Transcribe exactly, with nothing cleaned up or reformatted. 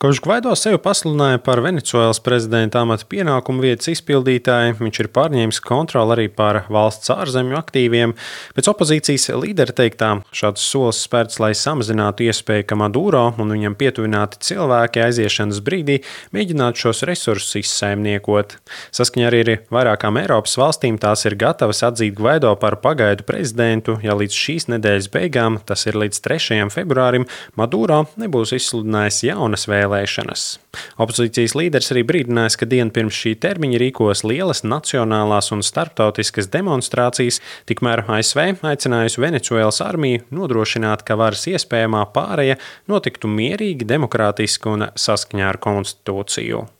Kopš Gvaido sevi pasludināja par Venecuēlas prezidenta amata pienākumu vietas izpildītāju, viņš ir pārņēmis kontroli arī pār valsts ārzemju aktīviem. Pēc opozīcijas līdera teiktā, šāds solis spērts, lai samazinātu iespēju, ka Maduro un viņam pietuvināti cilvēki aiziešanas brīdī mēģinātu šos resursus izsaimniekot. Saskaņā arī ar vairākām Eiropas valstīm tās ir gatavas atzīt Gvaido par pagaidu prezidentu, ja līdz šīs nedēļas beigām, tas ir līdz trešajam februārim, Maduro nebūs izsludinājis jaunas vēlēšanas. Opozīcijas līderis arī brīdinājis, ka dienu pirms šī termiņa rīkos lielas nacionālās un starptautiskas demonstrācijas, tikmēr A S V aicinājusi Venecuēlas armiju nodrošināt, ka varas iespējamā pāreja notiktu mierīgi, demokrātiski un saskaņā ar konstitūciju.